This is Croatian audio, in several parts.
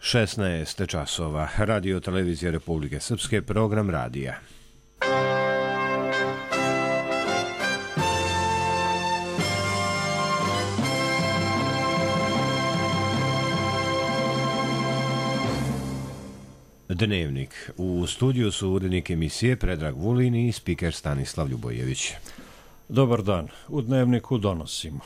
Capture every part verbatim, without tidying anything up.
šesnaest časova. Radio televizija Republike Srpske, program radija. Dnevnik. U studiju su urednik emisije Predrag Vulin i spiker Stanislav Ljubojević. Dobar dan. U Dnevniku donosimo.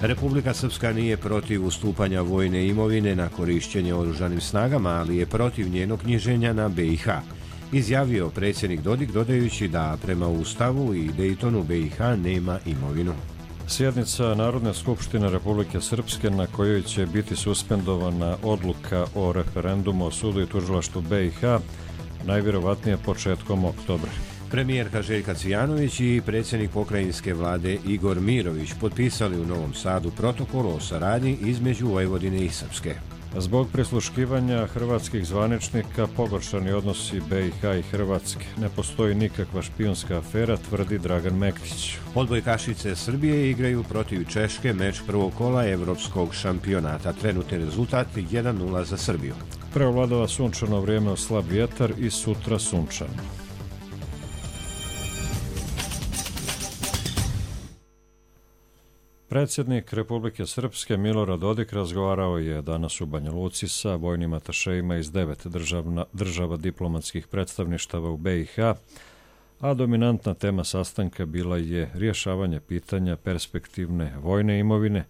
Republika Srpska nije protiv ustupanja vojne imovine na korišćenje oružanim snagama, ali je protiv njenog knjiženja na B i H. Izjavio predsjednik Dodik, dodajući da prema Ustavu i Dejtonu B i H nema imovinu. Sjednica Narodne skupštine Republike Srpske na kojoj će biti suspendovana odluka o referendumu o sudu i tužilaštvu B i H najvjerovatnije početkom oktobra. Premijerka Željka Cvijanović i predsjednik pokrajinske vlade Igor Mirović potpisali u Novom Sadu protokol o saradnji između Vojvodine i Srpske. Zbog prisluškivanja hrvatskih zvaničnika pogoršani odnosi B i H i Hrvatske. Ne postoji nikakva špijunska afera, tvrdi Dragan Mektić. Odbojkašice Srbije igraju protiv Češke meč prvog kola evropskog šampionata. Trenutni rezultat jedan nula za Srbiju. Preovladava sunčano vrijeme uz slab vjetar i sutra sunčano. Predsjednik Republike Srpske Milorad Dodik razgovarao je danas u Banja Luci sa vojnim atašejima iz devet državna, država diplomatskih predstavništava u B i H, a dominantna tema sastanka bila je rješavanje pitanja perspektivne vojne imovine,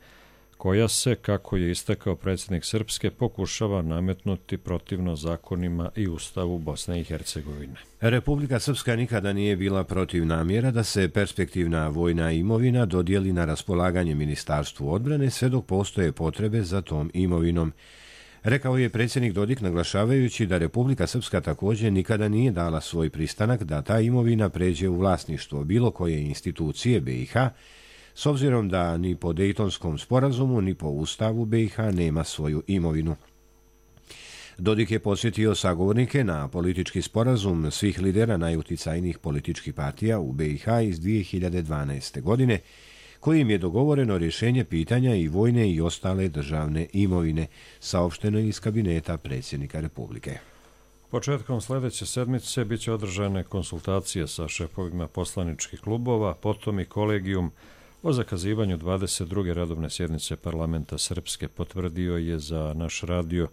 koja se, kako je istakao predsjednik Srpske, pokušava nametnuti protivno zakonima i Ustavu Bosne i Hercegovine. Republika Srpska nikada nije bila protiv namjera da se perspektivna vojna imovina dodijeli na raspolaganje Ministarstvu odbrane sve dok postoje potrebe za tom imovinom. Rekao je predsjednik Dodik, naglašavajući da Republika Srpska također nikada nije dala svoj pristanak da ta imovina pređe u vlasništvo bilo koje institucije B i H, s obzirom da ni po Dejtonskom sporazumu ni po Ustavu B i H nema svoju imovinu. Dodik je posjetio sagovornike na politički sporazum svih lidera najuticajnijih političkih partija u B i H iz dvije hiljade dvanaeste. godine, kojim je dogovoreno rješenje pitanja i vojne i ostale državne imovine, saopšteno iz kabineta predsjednika Republike. Početkom sljedeće sedmice bit će održane konsultacije sa šefovima poslaničkih klubova, potom i kolegijum o zakazivanju dvadeset druge redovne sjednice parlamenta Srpske, potvrdio je za naš radio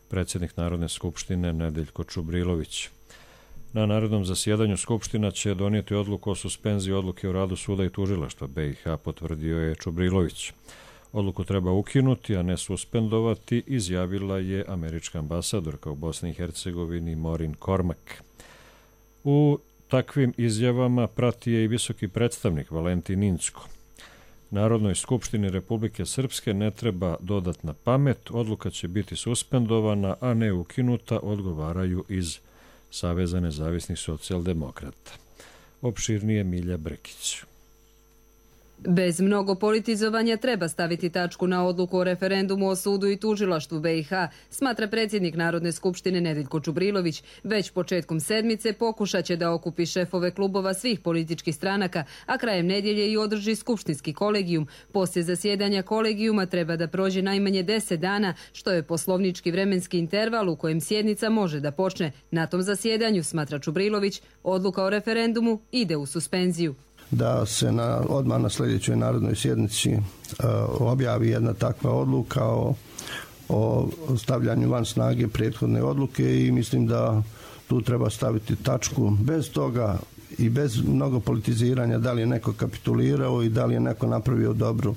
predsjednik Narodne skupštine Nedeljko Čubrilović. Na narednom zasjedanju Skupština će donijeti odluku o suspenziji odluke o radu suda i tužilaštva B i H, potvrdio je Čubrilović. Odluku treba ukinuti, a ne suspendovati, izjavila je američka ambasadorka u Bosni i Hercegovini Maureen Cormack. U takvim izjavama prati je i visoki predstavnik Valentin Incko. Narodnoj skupštini Republike Srpske ne treba dodatna pamet, odluka će biti suspendovana, a ne ukinuta, odgovaraju iz Saveza nezavisnih socijaldemokrata. Opširnije Milja Brkić. Bez mnogo politizovanja treba staviti tačku na odluku o referendumu o sudu i tužilaštvu B i H, smatra predsjednik Narodne skupštine Nedeljko Čubrilović. Već početkom sedmice pokušat će da okupi šefove klubova svih političkih stranaka, a krajem nedjelje i održi skupštinski kolegijum. Poslije zasjedanja kolegijuma treba da prođe najmanje deset dana, što je poslovnički vremenski interval u kojem sjednica može da počne. Na tom zasjedanju, smatra Čubrilović, odluka o referendumu ide u suspenziju. Da se na, odmah na sljedećoj narodnoj sjednici uh, objavi jedna takva odluka o, o stavljanju van snage prethodne odluke i mislim da tu treba staviti tačku. Bez toga i bez mnogo politiziranja da li je neko kapitulirao i da li je neko napravio dobru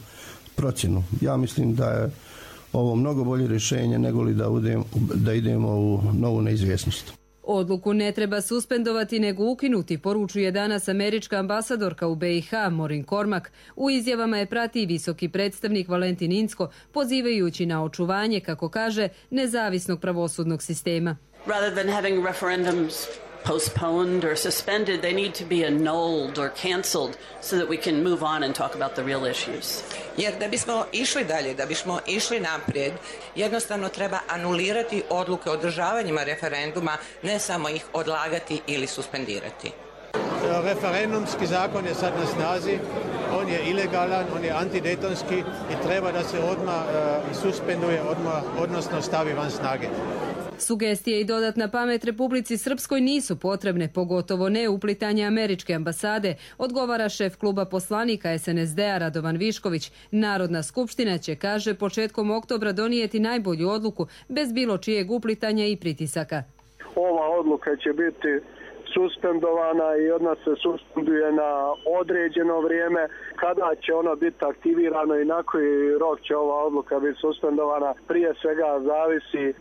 procjenu. Ja mislim da je ovo mnogo bolje rješenje nego li da, udem, da idemo u novu neizvjesnost. Odluku ne treba suspendovati nego ukinuti, poručuje danas američka ambasadorka u B i H Maureen Cormack. U izjavama je prati i visoki predstavnik Valentin Incko, pozivajući na očuvanje, kako kaže, nezavisnog pravosudnog sistema. Rather than having referendums postponed or suspended, they need to be annulled or cancelled so that we can move on and talk about the real issues. Jer da bismo išli dalje, da bismo išli naprijed, jednostavno treba anulirati odluke o održavanjima referenduma, ne samo ih odlagati ili suspendirati. Referendumski zakon je sad na snazi, on je ilegalan, on je antidejtonski i treba da se odmah uh, suspenduje, odmah, odnosno stavi van snage. Sugestije i dodatna pamet Republici Srpskoj nisu potrebne, pogotovo ne uplitanje američke ambasade, odgovara šef kluba poslanika es en es de-a Radovan Višković. Narodna skupština će, kaže, početkom oktobra donijeti najbolju odluku bez bilo čijeg uplitanja i pritisaka. Ova odluka će biti suspendovana i od nas se suspenduje na određeno vrijeme. Kada će ona biti aktivirana i na koji rok će ova odluka biti suspendovana, prije svega zavisi e,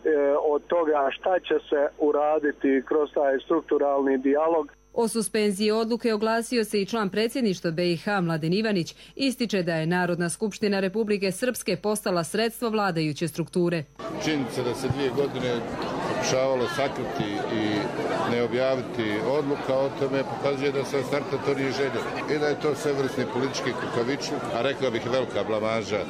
od toga šta će se uraditi kroz taj strukturalni dijalog. O suspenziji odluke oglasio se i član predsjedništva be i ha Mladen Ivanić. Ističe da je Narodna skupština Republike Srpske postala sredstvo vladajuće strukture. Činjenica da se dvije godine pokušavalo sakriti i ne objaviti odluka o tome pokazuje da se starta to nije željelo i da je to svevrsni politički kukavičluk, a rekao bih velika blamaža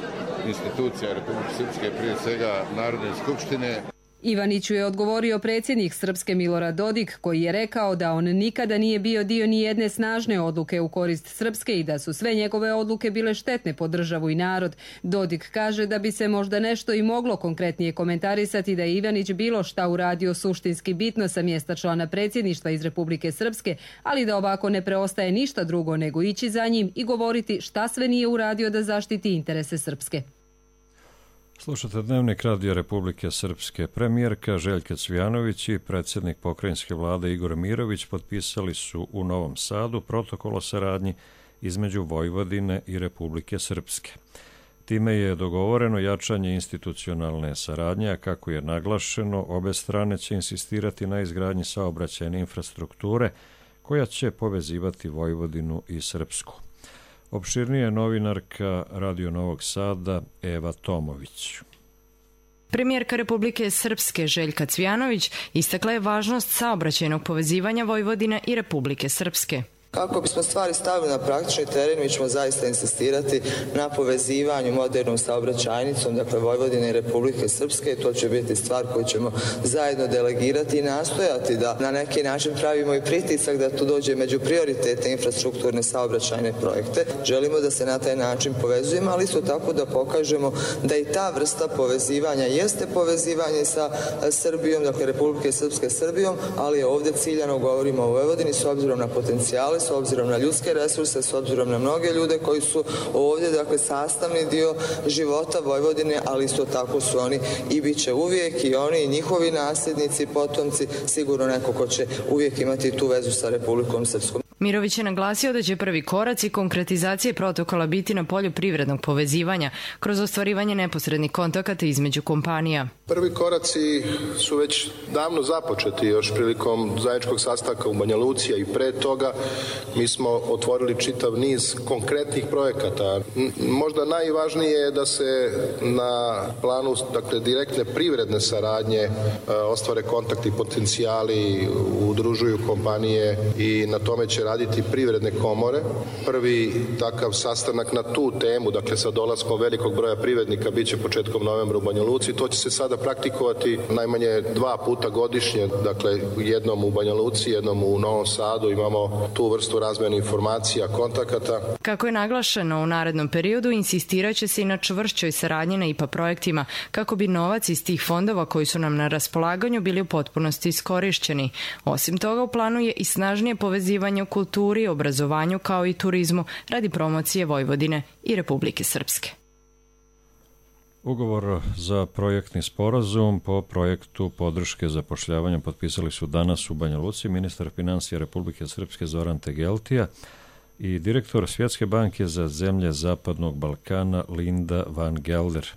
institucija Republike Srpske, prije svega Narodne skupštine. Ivaniću je odgovorio predsjednik Srpske Milorad Dodik, koji je rekao da on nikada nije bio dio ni jedne snažne odluke u korist Srpske i da su sve njegove odluke bile štetne po državu i narod. Dodik kaže da bi se možda nešto i moglo konkretnije komentarisati da je Ivanić bilo šta uradio suštinski bitno sa mjesta člana predsjedništva iz Republike Srpske, ali da ovako ne preostaje ništa drugo nego ići za njim i govoriti šta sve nije uradio da zaštiti interese Srpske. Slušate Dnevnik Radija Republike Srpske. Premijerka Željka Cvijanović i predsjednik pokrajinske vlade Igor Mirović potpisali su u Novom Sadu protokol o saradnji između Vojvodine i Republike Srpske. Time je dogovoreno jačanje institucionalne saradnje, a kako je naglašeno, obe strane će insistirati na izgradnji saobraćajne infrastrukture koja će povezivati Vojvodinu i Srpsku. Opširnije je novinarka Radio Novog Sada Eva Tomović. Premijerka Republike Srpske Željka Cvijanović istakla je važnost saobraćajnog povezivanja Vojvodine i Republike Srpske. Kako bismo stvari stavili na praktični teren, mi ćemo zaista insistirati na povezivanju modernom saobraćajnicom, dakle Vojvodine i Republike Srpske. To će biti stvar koju ćemo zajedno delegirati i nastojati da na neki način pravimo i pritisak da tu dođe među prioritete infrastrukturne saobraćajne projekte. Želimo da se na taj način povezujemo, ali isto tako da pokažemo da i ta vrsta povezivanja jeste povezivanje sa Srbijom, dakle Republike Srpske Srbijom, ali ovdje ciljano govorimo o Vojvodini s obzirom na potencijale, s obzirom na ljudske resurse, s obzirom na mnoge ljude koji su ovdje, dakle, sastavni dio života Vojvodine, ali isto tako su oni i bit će uvijek i oni i njihovi nasljednici, potomci, sigurno neko ko će uvijek imati tu vezu sa Republikom Srpskom. Mirović je naglasio da će prvi koraci konkretizacije protokola biti na polju privrednog povezivanja kroz ostvarivanje neposrednih kontakata između kompanija. Prvi koraci su već davno započeti, još prilikom zajedničkog sastanka u Banja Luci i pre toga. Mi smo otvorili čitav niz konkretnih projekata. Možda najvažnije je da se na planu, dakle, direktne privredne saradnje ostvare kontakti, potencijali, udružuju kompanije i na tome će raditi privredne komore. Prvi takav sastanak na tu temu, dakle sa dolaskom velikog broja privrednika, bit će početkom novembra u Banja Luci. To će se sada praktikovati najmanje dva puta godišnje, dakle jednom u Banja Luci, jednom u Novom Sadu. Imamo tu vrstu razmjene informacija, kontakata. Kako je naglašeno, u narednom periodu insistirat će se i na čvršćoj saradnji na I P A projektima, kako bi novac iz tih fondova koji su nam na raspolaganju bili u potpunosti iskorišćeni. Osim toga, u planu je i snažnije povezivanje u kulturi, obrazovanju kao i turizmu radi promocije Vojvodine i Republike Srpske. Ugovor za projektni sporazum po projektu podrške zapošljavanja potpisali su danas u Banja Luci ministar finansija Republike Srpske Zoran Tegeltija i direktor Svjetske banke za zemlje Zapadnog Balkana Linda van Gelder.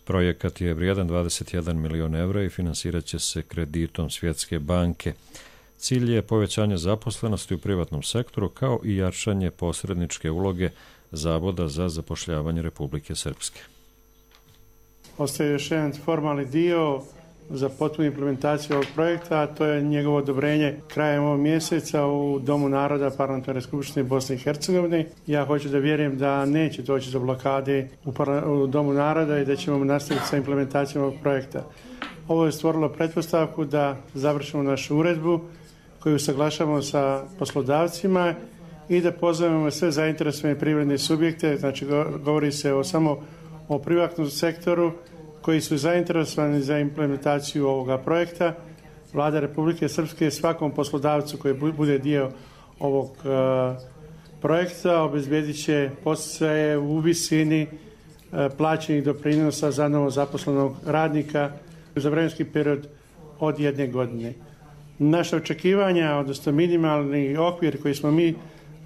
Projekat je vrijedan dvadeset jedan milion evra i finansirat će se kreditom Svjetske banke. Cilj je povećanje zaposlenosti u privatnom sektoru kao i jačanje posredničke uloge Zavoda za zapošljavanje Republike Srpske. Ostaje još jedan formalni dio za potpunu implementaciju ovog projekta, a to je njegovo odobrenje krajem ovog mjeseca u Domu naroda Parlamentarne skupštine Bosne i Hercegovine. Ja hoću da vjerujem da neće doći do blokade u, u Domu naroda i da ćemo nastaviti sa implementacijom ovog projekta. Ovo je stvorilo pretpostavku da završimo našu uredbu koju usaglašavamo sa poslodavcima i da pozovemo sve zainteresovane privredne subjekte, znači govori se o samo o privatnom sektoru koji su zainteresovani za implementaciju ovoga projekta. Vlada Republike Srpske svakom poslodavcu koji bude dio ovog uh, projekta obezbjedit će podsticaje u visini uh, plaćenih doprinosa za novo zaposlenog radnika za vremenski period od jedne godine. Naše očekivanja, odnosno minimalni okvir koji smo mi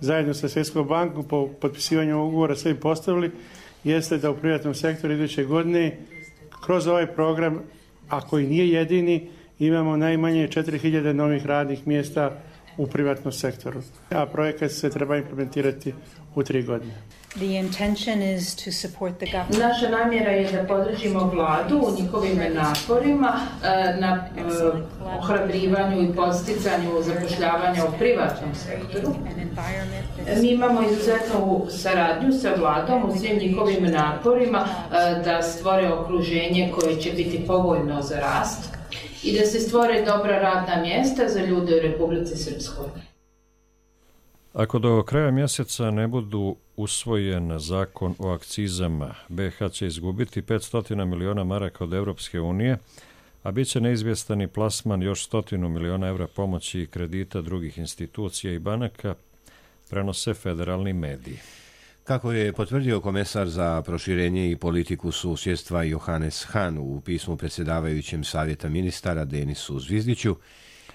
zajedno sa Svjetskom bankom po potpisivanju ovog ugovora sebi postavili, jeste da u privatnom sektoru iduće godine kroz ovaj program, a koji nije jedini, imamo najmanje četiri hiljade novih radnih mjesta u privatnom sektoru. A projekat se treba implementirati u tri godine. The intention is to support the government. Naša namjera je da podržimo vladu u njihovim naporima na ohrabrivanju i podsticanju zapošljavanja u privatnom sektoru. Mi imamo izuzetnu saradnju sa vladom u svim njihovim naporima da stvore okruženje koje će biti povoljno za rast i da se stvore dobra radna mjesta za ljude u Republici Srpskoj. Ako do kraja mjeseca ne budu usvojen zakon o akcizama, be ha će izgubiti petsto miliona maraka od Europske unije, a bit će neizvjestan i plasman još stotinu miliona evra pomoći i kredita drugih institucija i banaka, prenose federalni mediji. Kako je potvrdio komesar za proširenje i politiku susjedstva Johannes Hahn u pismu predsjedavajućem Savjeta ministara Denisu Zvizdiću,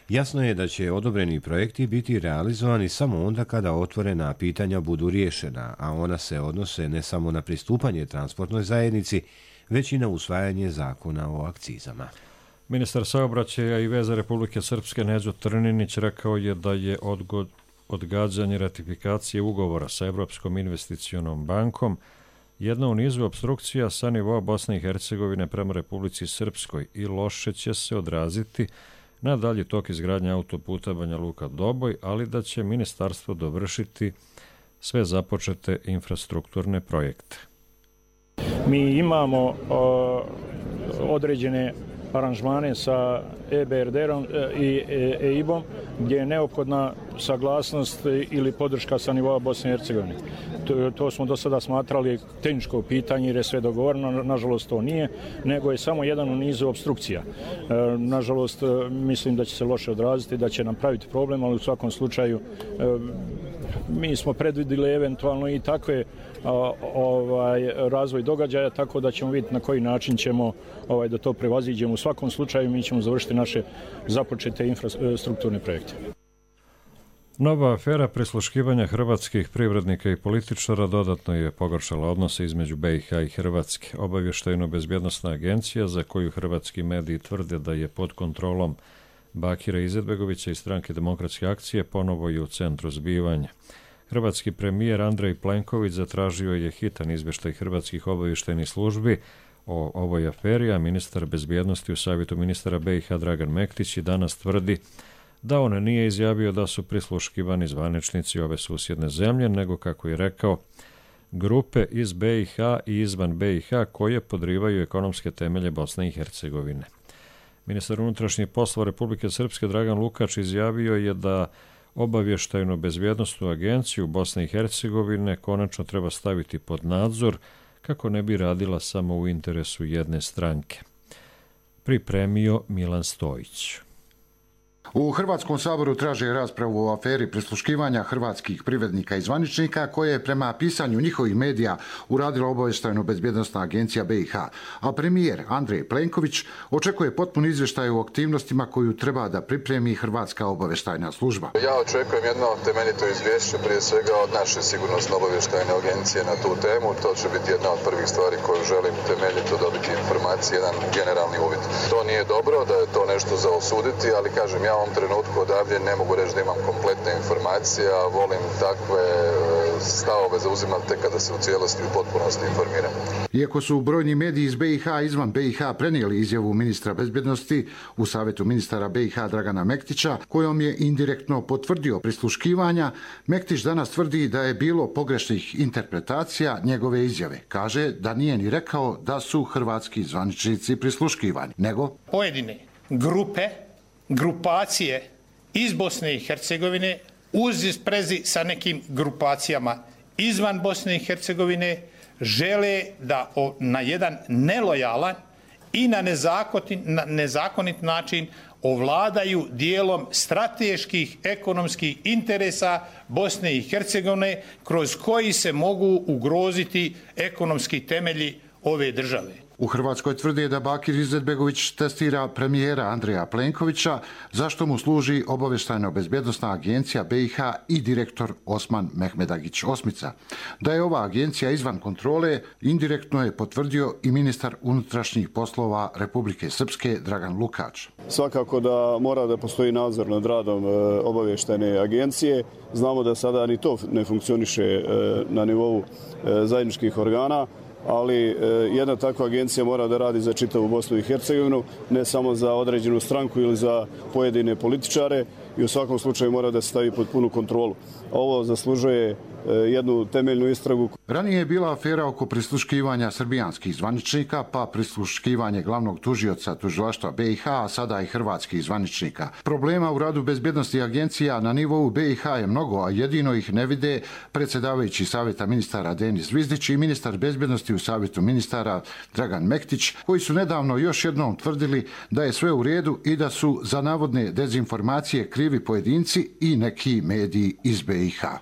jasno je da će odobreni projekti biti realizovani samo onda kada otvorena pitanja budu riješena, a ona se odnose ne samo na pristupanje transportnoj zajednici, već i na usvajanje zakona o akcizama. Ministar saobraćaja i veza Republike Srpske Neđo Trninić rekao je da je odgod, odgađanje ratifikacije ugovora sa Evropskom investicionom bankom jedna u nizu opstrukcija sa nivoa Bosne i Hercegovine prema Republici Srpskoj i loše će se odraziti na dalji tok izgradnje autoputa Banja Luka-Doboj, ali da će ministarstvo dovršiti sve započete infrastrukturne projekte. Mi imamo uh, određene aranžmane sa E B R D-om i E I B-om gdje je neophodna saglasnost ili podrška sa nivoa Bosne i Hercegovine. To, to smo do sada smatrali tehničko pitanje jer je sve dogovoreno, nažalost to nije, nego je samo jedan u nizu obstrukcija. E, nažalost, mislim da će se loše odraziti, da će nam praviti problem, ali u svakom slučaju e, mi smo predvidili eventualno i takve a, ovaj, razvoj događaja, tako da ćemo vidjeti na koji način ćemo ovaj, da to prevaziđemo. U svakom slučaju mi ćemo završiti naše započete infrastrukturne projekte. Nova afera prisluškivanja hrvatskih privrednika i političara dodatno je pogoršala odnose između be i ha i Hrvatske. Obavještajno-bezbjednosna agencija, za koju hrvatski mediji tvrde da je pod kontrolom Bakira Izetbegovića i Stranke demokratske akcije, ponovo je u centru zbivanja. Hrvatski premijer Andrej Plenković zatražio je hitan izvještaj hrvatskih obavještajnih službi o ovoj aferi, a ministar bezbjednosti u Savjetu ministara be i ha Dragan Mektić i danas tvrdi da on nije izjavio da su prisluškivani zvaničnici ove susjedne zemlje, nego, kako je rekao, grupe iz be i ha i izvan be i ha koje podrivaju ekonomske temelje Bosne i Hercegovine. Ministar unutrašnjih poslova Republike Srpske Dragan Lukač izjavio je da obavještajnu bezbjednostnu agenciju Bosne i Hercegovine konačno treba staviti pod nadzor kako ne bi radila samo u interesu jedne stranke. Pripremio Milan Stojić. U Hrvatskom saboru traže raspravu o aferi prisluškivanja hrvatskih privrednika i zvaničnika koje je prema pisanju njihovih medija uradila obavještajno bezbjednosna agencija be i ha, a premijer Andrej Plenković očekuje potpun izvještaj o aktivnostima koju treba da pripremi Hrvatska obavještajna služba. Ja očekujem jedno temeljito izvješće prije svega od naše sigurnosno obavještajne agencije na tu temu. To će biti jedna od prvih stvari koju želim temeljito dobiti informacije, jedan generalni uvid. To nije dobro, da je to nešto za osuditi, ali kažem, ja u ovom trenutku odavdje ne mogu reći da imam kompletne informacije, a volim takve stavove zauzimati tek kada se u cijelosti u potpunosti informiram. Iako su brojni mediji iz be i ha i izvan be i ha prenijeli izjavu ministra bezbjednosti u Savjetu ministara be i ha Dragana Mektića, kojom je indirektno potvrdio prisluškivanja, Mektić danas tvrdi da je bilo pogrešnih interpretacija njegove izjave. Kaže da nije ni rekao da su hrvatski zvaničnici prisluškivani, nego pojedine grupe, grupacije iz Bosne i Hercegovine uz sprezi sa nekim grupacijama izvan Bosne i Hercegovine žele da na jedan nelojalan i na nezakonit, na nezakonit način ovladaju dijelom strateških ekonomskih interesa Bosne i Hercegovine kroz koji se mogu ugroziti ekonomski temelji ove države. U Hrvatskoj tvrdi da Bakir Izetbegović testira premijera Andreja Plenkovića, zašto mu služi obavještajno-bezbjednosna agencija B i H i direktor Osman Mehmedagić Osmica. Da je ova agencija izvan kontrole, indirektno je potvrdio i ministar unutrašnjih poslova Republike Srpske Dragan Lukač. Svakako da mora da postoji nadzor nad radom obavještajne agencije. Znamo da sada ni to ne funkcioniše na nivou zajedničkih organa, ali jedna takva agencija mora da radi za čitavu Bosnu i Hercegovinu, ne samo za određenu stranku ili za pojedine političare, i u svakom slučaju mora da se stavi pod punu kontrolu. Ovo zaslužuje jednu temeljnu istragu. Ranije je bila afera oko prisluškivanja srbijanskih zvaničnika, pa prisluškivanje glavnog tužioca tužilaštva B i H, a sada i hrvatskih zvaničnika. Problema u radu bezbjednosti agencija na nivou B i H je mnogo, a jedino ih ne vide predsjedavajući savjeta ministara Denis Zvizdić i ministar bezbjednosti u savjetu ministara Dragan Mektić, koji su nedavno još jednom tvrdili da je sve u redu i da su za navodne dezinformacije krivi pojedinci i neki mediji iz B i H.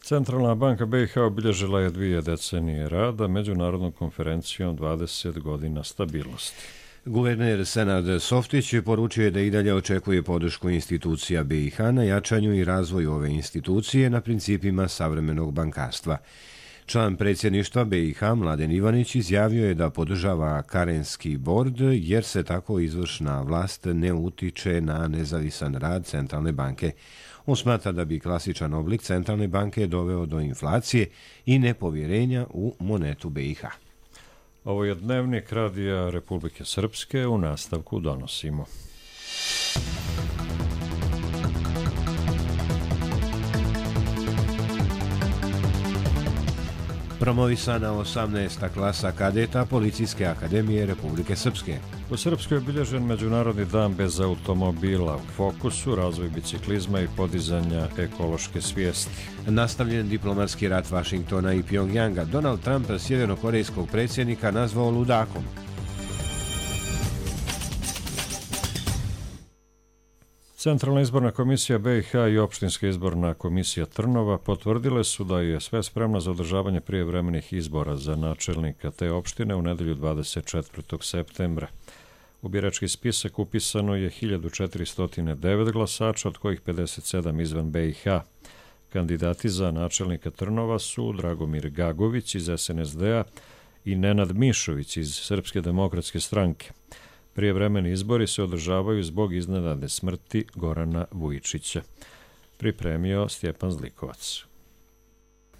Centralna banka B i H obilježila je dvije decenije rada međunarodnom konferencijom dvadeset godina stabilnosti. Guverner Senad Softić poručio je da i dalje očekuje podršku institucija B i H na jačanju i razvoju ove institucije na principima savremenog bankarstva. Član predsjedništva B i H Mladen Ivanić izjavio je da podržava Karenski bord jer se tako izvršna vlast ne utiče na nezavisan rad centralne banke. On smatra da bi klasičan oblik centralne banke doveo do inflacije i nepovjerenja u monetu B i H. Ovo je dnevnik Radija Republike Srpske, u nastavku donosimo. Promovisana osamnaesta klasa kadeta Policijske akademije Republike Srpske. U Srpskoj je obilježen Međunarodni dan bez automobila, u fokusu razvoj biciklizma i podizanja ekološke svijesti. Nastavljen diplomatski rat Vašingtona i Pjongjanga, Donald Trump sjevernokorejskog predsjednika nazvao ludakom. Centralna izborna komisija B i H i opštinska izborna komisija Trnova potvrdile su da je sve spremno za održavanje prijevremenih izbora za načelnika te opštine u nedelju dvadeset četvrtog septembra. U birački spisak upisano je hiljadu četiristo devet glasača, od kojih pedeset sedam izvan B i H. Kandidati za načelnika Trnova su Dragomir Gagović iz S N S D-a i Nenad Mišović iz Srpske demokratske stranke. Prijevremeni izbori se održavaju zbog iznenadne smrti Gorana Vujičića. Pripremio Stjepan Zlikovac.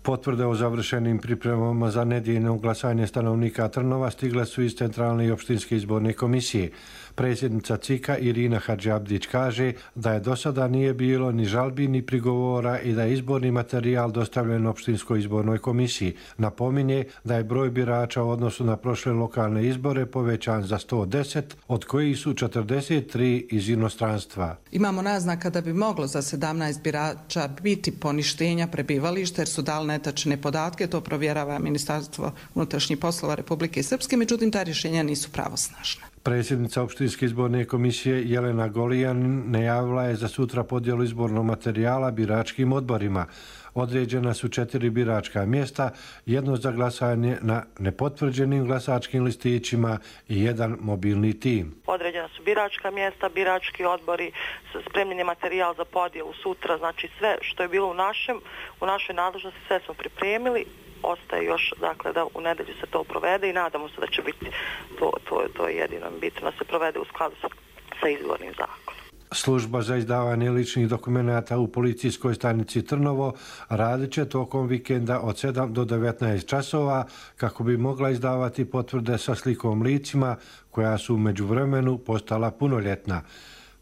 Potvrde o završenim pripremama za nedjeljno glasanje stanovnika Trnova stigle su iz Centralne i opštinske izborne komisije. Predsjednica C I K-a Irina Hadžiabdić kaže da je do sada nije bilo ni žalbi ni prigovora i da je izborni materijal dostavljen opštinskoj izbornoj komisiji. Napominje da je broj birača u odnosu na prošle lokalne izbore povećan za sto deset, od kojih su četrdeset tri iz inostranstva. Imamo naznaka da bi moglo za sedamnaest birača biti poništenja prebivališta jer su dali netačne podatke, to provjerava Ministarstvo unutrašnjih poslova Republike Srpske, međutim ta rješenja nisu pravosnažna. Predsjednica opštinske izborne komisije Jelena Golijan najavila je za sutra podjelu izbornog materijala biračkim odborima. Određena su četiri biračka mjesta, jedno za glasanje na nepotvrđenim glasačkim listićima i jedan mobilni tim. Određena su biračka mjesta, birački odbori, spremljen je materijal za podjelu sutra, znači sve što je bilo u našem, u našoj nadležnosti, sve smo pripremili. Ostaje još, dakle, da u nedelju se to provede i nadamo se da će biti to, to, to je jedino bitno da se provede u skladu sa, sa izbornim zakonom. Služba za izdavanje ličnih dokumenata u policijskoj stanici Trnovo radit će tokom vikenda od sedam do devetnaest časova kako bi mogla izdavati potvrde sa slikom licima koja su u međuvremenu postala punoljetna.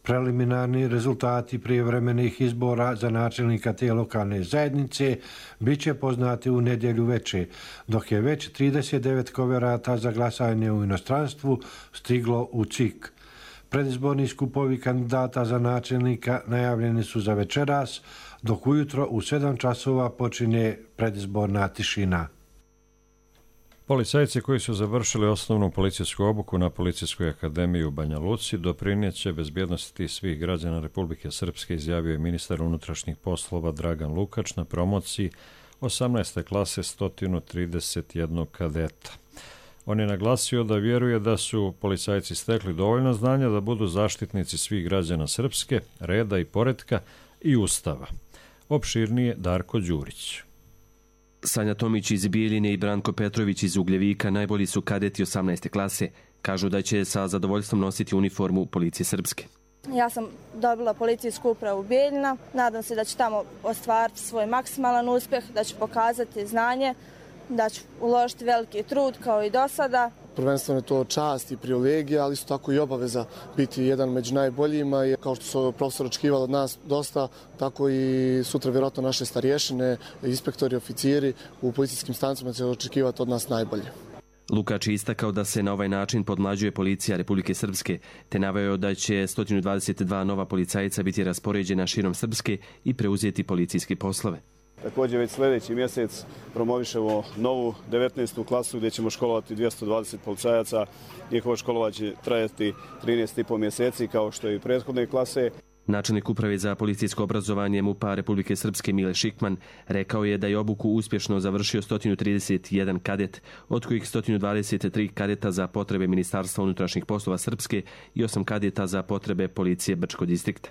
Preliminarni rezultati prijevremenih izbora za načelnika te lokalne zajednice bit će poznati u nedjelju veče, dok je već trideset devet koverata za glasanje u inostranstvu stiglo u C I K. Predizborni skupovi kandidata za načelnika najavljeni su za večeras, dok ujutro u sedam časova počinje predizborna tišina. Policajci koji su završili osnovnu policijsku obuku na Policijskoj akademiji u Banja Luci doprinijeće bezbjednosti svih građana Republike Srpske, izjavio je ministar unutrašnjih poslova Dragan Lukač na promociji osamnaeste klase sto trideset jedan kadeta. On je naglasio da vjeruje da su policajci stekli dovoljno znanja da budu zaštitnici svih građana Srpske, reda i poretka i ustava. Opširnije Darko Đurić. Sanja Tomić iz Bijeljine i Branko Petrović iz Ugljevika najbolji su kadeti osamnaeste klase. Kažu da će sa zadovoljstvom nositi uniformu Policije Srpske. Ja sam dobila policijsku upravu Bijeljina. Nadam se da ću tamo ostvariti svoj maksimalan uspjeh, da ću pokazati znanje, da ću uložiti veliki trud kao i do sada. Prvenstveno je to čast i privilegija, ali isto tako i obaveza biti jedan među najboljima. I kao što su profesor očekivali od nas dosta, tako i sutra vjerojatno naše starješine, inspektori, oficiri u policijskim stanicama će očekivati od nas najbolje. Lukač je istakao da se na ovaj način podmlađuje policija Republike Srpske, te naveo da će sto dvadeset dva nova policajca biti raspoređena širom Srpske i preuzeti policijske poslove. Također već sljedeći mjesec promovišemo novu devetnaestu klasu gdje ćemo školovati dvjesto dvadeset policajaca. Njihovo školovanje će trajati trinaest i po mjeseci kao što je i prethodne klase. Načelnik uprave za policijsko obrazovanje MUP-a Republike Srpske Mile Šikman rekao je da je obuku uspješno završio sto trideset jedan kadet, od kojih sto dvadeset tri kadeta za potrebe Ministarstva unutrašnjih poslova Srpske i osam kadeta za potrebe policije Brčkog distrikta.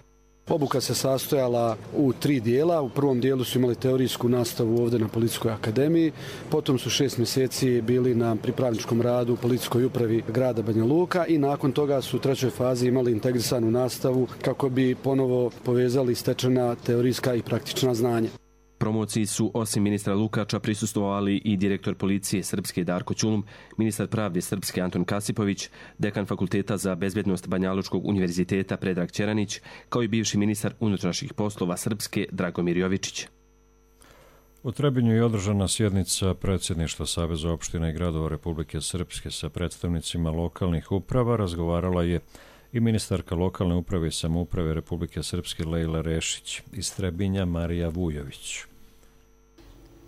Obuka se sastojala u tri dijela. U prvom dijelu su imali teorijsku nastavu ovdje na Policijskoj akademiji, potom su šest mjeseci bili na pripravničkom radu u Policijskoj upravi grada Banja Luka i nakon toga su u trećoj fazi imali integrisanu nastavu kako bi ponovo povezali stečena teorijska i praktična znanja. Promociji su osim ministra Lukača prisustvovali i direktor policije Srpske Darko Ćulum, ministar pravde Srpske Anton Kasipović, dekan Fakulteta za bezbjednost Banjalučkog univerziteta Predrag Ćeranić, kao i bivši ministar unutrašnjih poslova Srpske Dragomir Jovičić. U Trebinju je održana sjednica predsjedništva Saveza opština i gradova Republike Srpske sa predstavnicima lokalnih uprava. Razgovarala je i ministarka lokalne uprave i samouprave Republike Srpske Lejla Rešić, iz Trebinja Marija Vujović.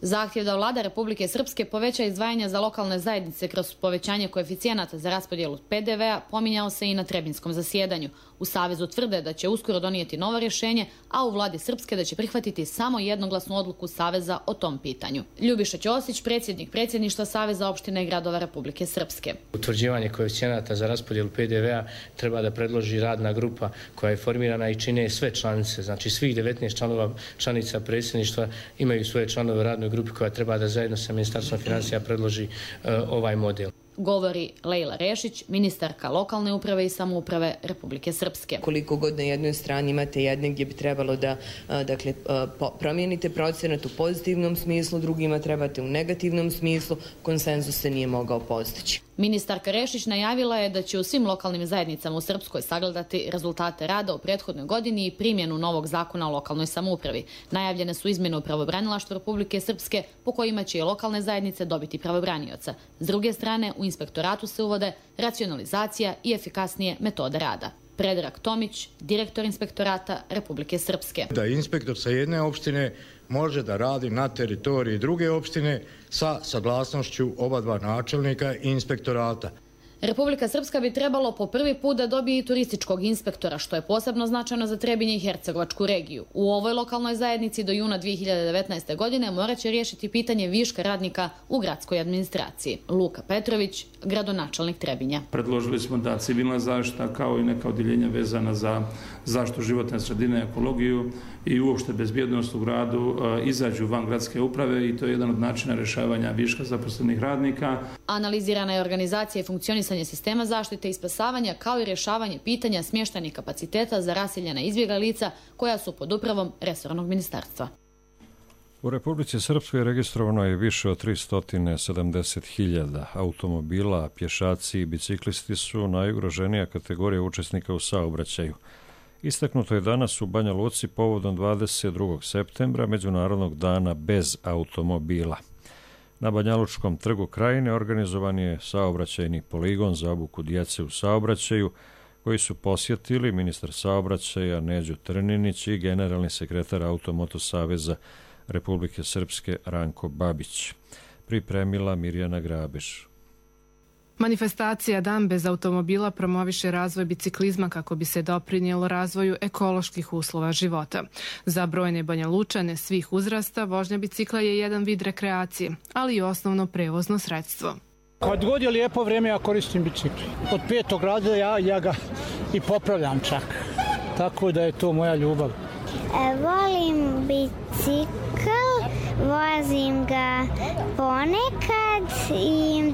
Zahtjev da vlada Republike Srpske poveća izdvajanja za lokalne zajednice kroz povećanje koeficijenata za raspodjelu P D V-a pominjao se i na trebinskom zasjedanju. U Savezu tvrde da će uskoro donijeti novo rješenje, a u vladi Srpske da će prihvatiti samo jednoglasnu odluku Saveza o tom pitanju. Ljubiša Ćosić, predsjednik predsjedništva Saveza opština i gradova Republike Srpske. Utvrđivanje koeficijenata za raspodjelu P D V-a treba da predloži radna grupa koja je formirana i čine sve članice, znači svih devetnaest članova članica predsjedništva imaju svoje članove radnoj grupi koja treba da zajedno sa Ministarstvom financija predloži uh, ovaj model. Govori Lejla Rešić, ministarka lokalne uprave i samouprave Republike Srpske. Koliko god na jednoj strani imate jedne gdje bi trebalo da dakle, promijenite procenat u pozitivnom smislu, drugima trebate u negativnom smislu, konsenzus se nije mogao postići. Ministarka Rešić najavila je da će u svim lokalnim zajednicama u Srpskoj sagledati rezultate rada u prethodnoj godini i primjenu novog zakona o lokalnoj samoupravi. Najavljene su izmjene u pravobranilaštvu Republike Srpske po kojima će i lokalne zajednice dobiti pravobranioca. S druge strane, u inspektoratu se uvode racionalizacija i efikasnije metode rada. Predrag Tomić, direktor inspektorata Republike Srpske. Da inspektor sa jedne opštine može da radi na teritoriji druge opštine sa saglasnošću oba dva načelnika i inspektorata. Republika Srpska bi trebalo po prvi put da dobije i turističkog inspektora, što je posebno značajno za Trebinje i Hercegovačku regiju. U ovoj lokalnoj zajednici do juna dvije hiljade devetnaeste. godine morat će riješiti pitanje viška radnika u gradskoj administraciji. Luka Petrović, gradonačelnik Trebinja. Predložili smo da civilna zaštita kao i neka odjeljenja vezana za zaštitu životne sredine, ekologiju i uopšte bezbjednost u gradu izađu van gradske uprave i to je jedan od načina rješavanja viška zaposlenih radnika. Analizirana je organizacija i funkcionisanje sistema zaštite i spasavanja kao i rješavanje pitanja smještajnih kapaciteta za raseljena izbjegla lica koja su pod upravom resornog ministarstva. U Republici Srpskoj registrovano je više od tristo sedamdeset hiljada automobila, a pješaci i biciklisti su najugroženija kategorija učesnika u saobraćaju. Istaknuto je danas u Banja Luci povodom dvadeset drugog septembra, Međunarodnog dana bez automobila. Na Banjalučkom trgu Krajine organizovan je saobraćajni poligon za obuku djece u saobraćaju, koji su posjetili ministar saobraćaja Neđo Trninić i generalni sekretar Automoto saveza Republike Srpske Ranko Babić. Pripremila Mirjana Grabež. Manifestacija Dan bez automobila promoviše razvoj biciklizma kako bi se doprinijelo razvoju ekoloških uslova života. Za brojne Banjalučane svih uzrasta vožnja bicikla je jedan vid rekreacije, ali i osnovno prevozno sredstvo. Kad god je lijepo vrijeme, ja koristim bicikl. Od petog razreda ja, ja ga i popravljam čak. Tako da je to moja ljubav. E, volim bicikl, vozim ga ponekad i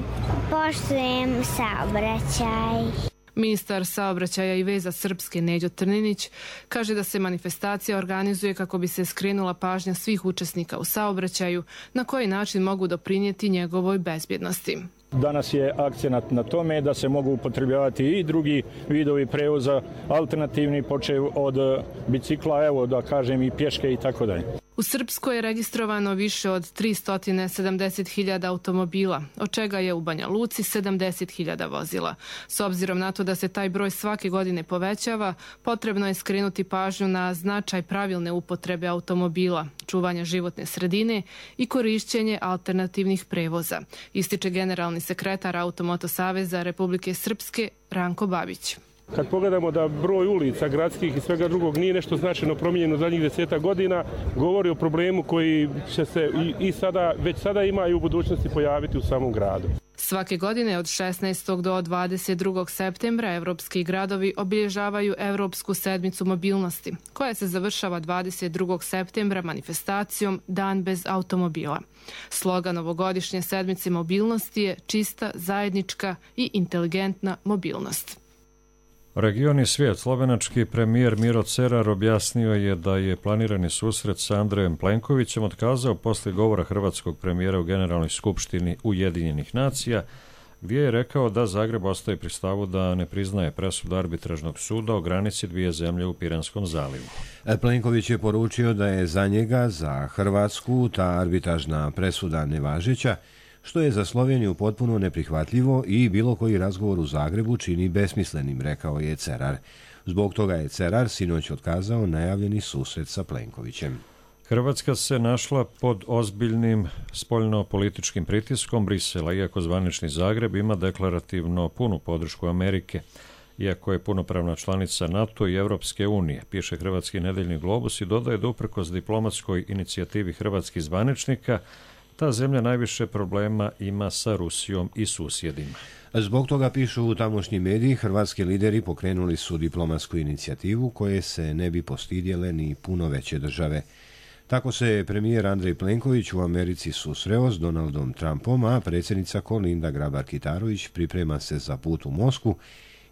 poštujem saobraćaj. Ministar saobraćaja i veza Srpske Neđo Trninić kaže da se manifestacija organizuje kako bi se skrenula pažnja svih učesnika u saobraćaju na koji način mogu doprinijeti njegovoj bezbjednosti. Danas je akcenat na tome da se mogu upotrebljavati i drugi vidovi prevoza, alternativni, počev od bicikla, evo da kažem i pješke i tako dalje. U Srpskoj je registrovano više od tristo sedamdeset hiljada automobila, od čega je u Banja Luci sedamdeset hiljada vozila. S obzirom na to da se taj broj svake godine povećava, potrebno je skrenuti pažnju na značaj pravilne upotrebe automobila, čuvanja životne sredine i korišćenje alternativnih prevoza, ističe generalni sekretar Automoto saveza Republike Srpske Ranko Babić. Kad pogledamo da broj ulica, gradskih i svega drugog nije nešto značajno promijenjeno u zadnjih deseta godina, govori o problemu koji će se i, i sada, već sada ima i u budućnosti pojaviti u samom gradu. Svake godine od šesnaestog do dvadeset drugog septembra evropski gradovi obilježavaju Evropsku sedmicu mobilnosti, koja se završava dvadeset drugog septembra manifestacijom Dan bez automobila. Slogan ovogodišnje sedmice mobilnosti je čista, zajednička i inteligentna mobilnost. Region i svijet. Slovenački premijer Miro Cerar objasnio je da je planirani susret sa Andrejem Plenkovićem otkazao poslije govora hrvatskog premijera u Generalnoj skupštini Ujedinjenih nacija, gdje je rekao da Zagreb ostaje pri stavu da ne priznaje presudu arbitražnog suda o granici dvije zemlje u Piranskom zalivu. Plenković je poručio da je za njega, za Hrvatsku, ta arbitražna presuda nevažeća, što je za Sloveniju potpuno neprihvatljivo i bilo koji razgovor u Zagrebu čini besmislenim, rekao je Cerar. Zbog toga je Cerar sinoć otkazao najavljeni susret sa Plenkovićem. Hrvatska se našla pod ozbiljnim spoljno-političkim pritiskom Brisela, iako zvanični Zagreb ima deklarativno punu podršku Amerike. Iako je punopravna članica NATO i Evropske unije, piše Hrvatski nedeljni Globus i dodaje da uprkos diplomatskoj inicijativi hrvatskih zvaničnika, ta zemlja najviše problema ima sa Rusijom i susjedima. Zbog toga, pišu u tamošnji mediji, hrvatski lideri pokrenuli su diplomatsku inicijativu koje se ne bi postidjele ni puno veće države. Tako se premijer Andrej Plenković u Americi susreo s Donaldom Trumpom, a predsjednica Kolinda Grabar-Kitarović priprema se za put u Moskvu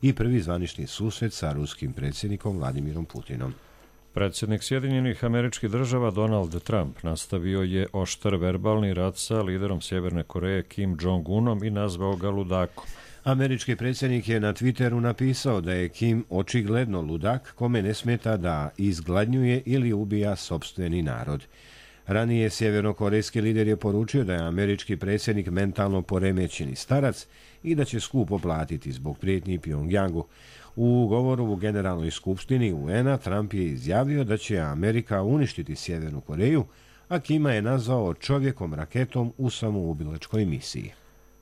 i prvi zvanični susret sa ruskim predsjednikom Vladimirom Putinom. Predsjednik Sjedinjenih Američkih Država Donald Trump nastavio je oštar verbalni rat sa liderom Sjeverne Koreje Kim Jong-unom i nazvao ga ludakom. Američki predsjednik je na Twitteru napisao da je Kim očigledno ludak kome ne smeta da izgladnjuje ili ubija sopstveni narod. Ranije sjevernokorejski lider je poručio da je američki predsjednik mentalno poremećeni starac i da će skupo platiti zbog prijetnji Pyongyangu. U govoru u Generalnoj skupštini U N a Trump je izjavio da će Amerika uništiti Sjevernu Koreju, a Kima je nazvao čovjekom raketom u samoubilačkoj misiji.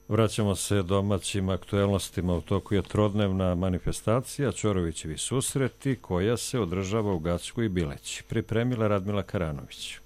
Vraćamo se domaćim aktuelnostima. U toku je trodnevna manifestacija Ćorovićevi susreti koja se održava u Gacku i Bileći. Pripremila Radmila Karanović.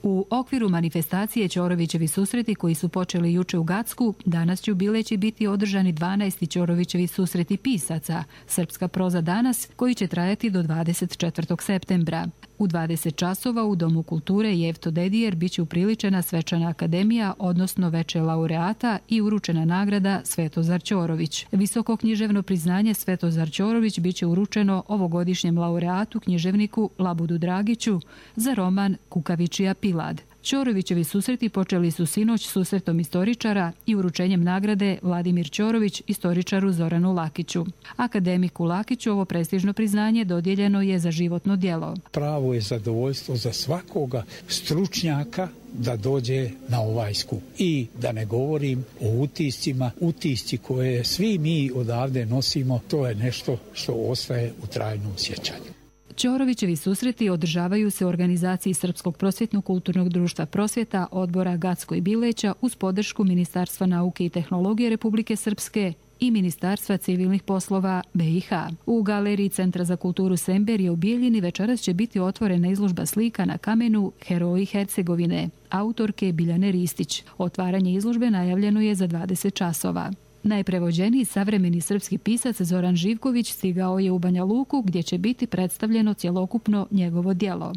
U okviru manifestacije Ćorovićevi susreti koji su počeli juče u Gacku, danas će u Bileći biti održani dvanaesti Ćorovićevi susreti pisaca, Srpska proza danas, koji će trajati do dvadeset četvrtog septembra. U dvadeset časova u Domu kulture Jevto Dedijer biće upriličena svečana akademija, odnosno veče laureata i uručena nagrada Svetozar Ćorović. Visoko književno priznanje Svetozar Ćorović biće uručeno ovogodišnjem laureatu književniku Labudu Dragiću za roman Kukavičija Pilad. Ćorovićevi susreti počeli su sinoć susretom istoričara i uručenjem nagrade Vladimir Ćorović istoričaru Zoranu Lakiću. Akademiku Lakiću ovo prestižno priznanje dodijeljeno je za životno djelo. Pravo je zadovoljstvo za svakoga stručnjaka da dođe na ovaj skup. I da ne govorim o utiscima, utisci koje svi mi odavde nosimo, to je nešto što ostaje u trajnom sjećanju. Ćorovićevi susreti održavaju se u organizaciji Srpskog prosvjetno-kulturnog društva Prosvjeta, odbora Gacko i Bileća uz podršku Ministarstva nauke i tehnologije Republike Srpske i Ministarstva civilnih poslova B i H. U galeriji Centra za kulturu Semberije u Bijeljini večeras će biti otvorena izložba slika na kamenu Heroji Hercegovine, autorke Biljane Ristić. Otvaranje izložbe najavljeno je za dvadeset časova. Najprevođeniji savremeni srpski pisac Zoran Živković stigao je u Banja Luku gdje će biti predstavljeno cjelokupno njegovo djelo.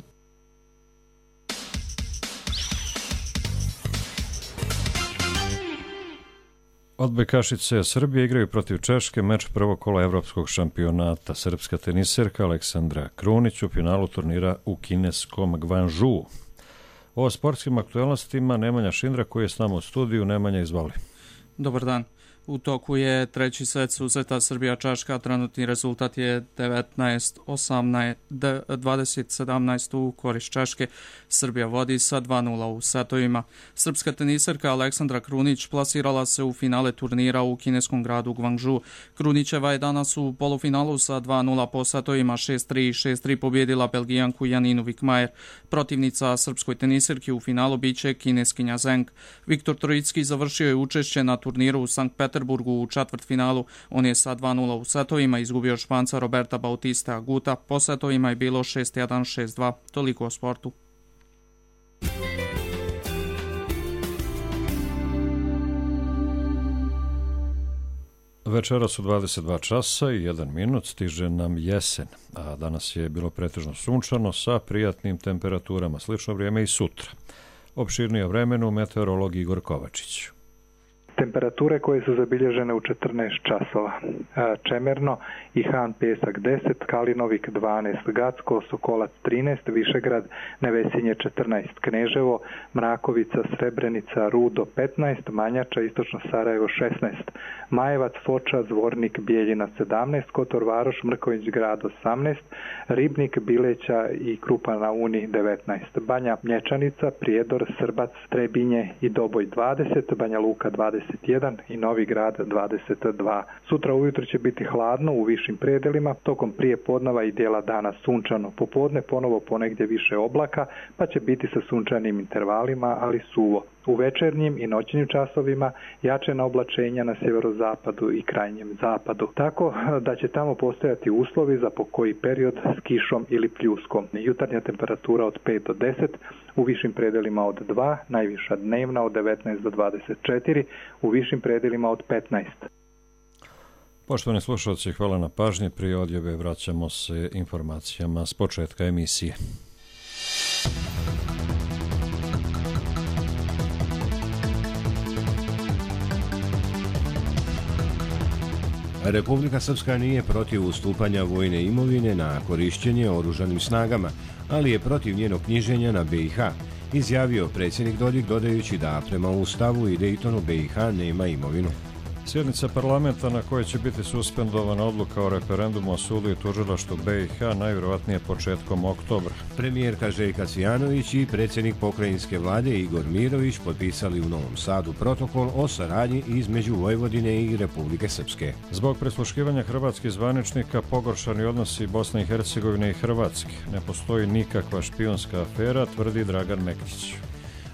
Odbojkašice Srbije igraju protiv Češke meč prvog kola evropskog šampionata. Srpska teniserka Aleksandra Krunić u finalu turnira u kineskom Gvanžu. O sportskim aktualnostima Nemanja Šindra koji je s nama u studiju. Nemanja, izvoli. Dobar dan. U toku je treći set susreta Srbija-Češka, trenutni rezultat je devetnaest osamnaest, dvadeset sedamnaest u korist Češke. Srbija vodi sa dva nula u setovima. Srpska teniserka Aleksandra Krunić plasirala se u finale turnira u kineskom gradu Gvanžu. Krunićeva je danas u polufinalu sa dva nula po setovima šest tri i šest tri pobjedila Belgijanku Janinu Vikmajer. Protivnica srpskoj teniserki u finalu biće kineskinja Zeng. Viktor Trojicki završio je učešće na turniru u Sankt Peterburgu u četvrtfinalu. On je sa dva nula u setovima izgubio Španca Roberta Bautista Aguta. Po setovima je bilo šest jedan šest dva. Toliko o sportu. Večera su dvadeset dva časa i jedan minut, stiže nam jesen, a danas je bilo pretežno sunčano sa prijatnim temperaturama, slično vrijeme i sutra. Opširnije o vremenu meteorolog Igor Kovačić. Temperature koje su zabilježene u četrnaest časova. Čemerno i Han Pesak deset, Kalinovik dvanaest, Gacko, Sokolac trinaest, Višegrad, Nevesinje četrnaest, Kneževo, Mrakovica, Srebrenica, Rudo petnaest, Manjača, Istočno Sarajevo šesnaest, Majevac, Foča, Zvornik, Bijeljina sedamnaest, Kotor Varoš, Mrković grad osamnaest, Ribnik, Bileća i Krupa na Uni devetnaest, Banja Mlječanica, Prijedor, Srbac, Trebinje i Doboj dvadeset, Banja Luka dvadeset jedan i Novi Grad dvadeset dva. Sutra ujutro će biti hladno u višim predelima, tokom prije podneva i dijela dana sunčano. Popodne ponovo ponegdje više oblaka, pa će biti sa sunčanim intervalima, ali suvo. U večernjim i noćnim časovima jačena oblačenja na sjeverozapadu i krajnjem zapadu. Tako da će tamo postojati uslovi za pokoji period s kišom ili pljuskom. Jutarnja temperatura od pet do deset, u višim predelima od dva, najviša dnevna od devetnaest do dvadeset četiri, u višim predelima od petnaest. Poštovani slušalci, hvala na pažnji. Prije odjave vraćamo se informacijama s početka emisije. Republika Srpska nije protiv ustupanja vojne imovine na korišćenje oružanim snagama, ali je protiv njenog knjiženja na B i H, izjavio predsjednik Dodik dodajući da prema Ustavu i Dejtonu B i H nema imovinu. Sjednica parlamenta na kojoj će biti suspendovana odluka o referendumu o sudu i tužilaštvu B i H najvjerojatnije početkom oktobra. Premijerka Željka Cvijanović i predsjednik pokrajinske vlade Igor Mirović potpisali u Novom Sadu protokol o saradnji između Vojvodine i Republike Srpske. Zbog prisluškivanja hrvatskih zvaničnika pogoršani odnosi Bosne i Hercegovine i Hrvatske. Ne postoji nikakva špijunska afera, tvrdi Dragan Mektić.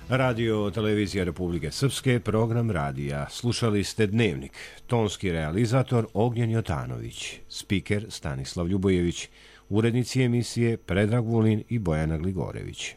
Radio Televizija Republike Srpske, program radija. Slušali ste Dnevnik. Tonski realizator Ognjen Jotanović. Spiker Stanislav Ljubojević. Urednici emisije Predrag Vulin i Bojana Gligorević.